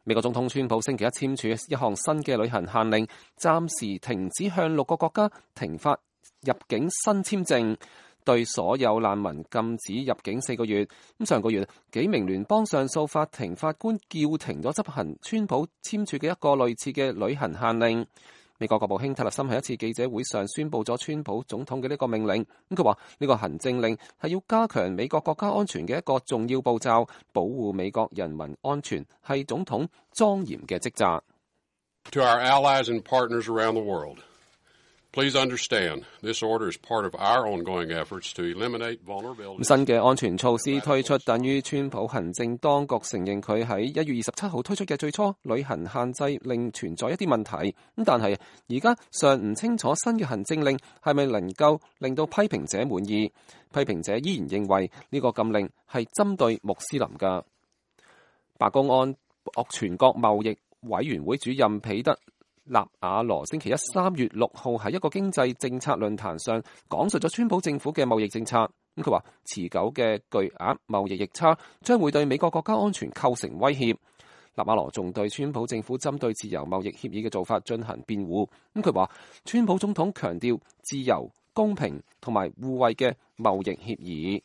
美國總統川普星期一簽署一項新嘅旅行限令，暫時停止向6個國家停發入境新簽證，對所有難民禁止入境4個月。上個月，幾名聯邦上訴法庭法官叫停咗執行川普簽署嘅一個類似嘅旅行限令。美國國務卿特勒森喺一次記者會上宣布咗川普總統嘅呢個命令。佢話呢個行政令係要加強美國國家安全嘅一個重要步驟，保護美國人民安全係總統莊嚴嘅職責。To our allies and partners around the world, please understand this order is part of our ongoing efforts to eliminate vulnerability. 新嘅安全措施推出，等於川普行政當局承認佢喺1月27號推出嘅最初旅行限制令存在一啲問題。但係而家尚唔清楚新嘅行政令係咪能夠令到批評者滿意。批評者依然認為呢個禁令係針對穆斯林㗎。白宮安全國貿易委員會主任彼得納瓦羅星期一3月6號喺一個經濟政策論壇上講述咗川普政府嘅貿易政策。佢話持久嘅巨額貿易逆差將會對美國國家安全構成威脅。納瓦羅仲對川普政府針對自由貿易協議嘅做法進行辯護。佢話川普總統強調自由、公平同埋互惠嘅貿易協議。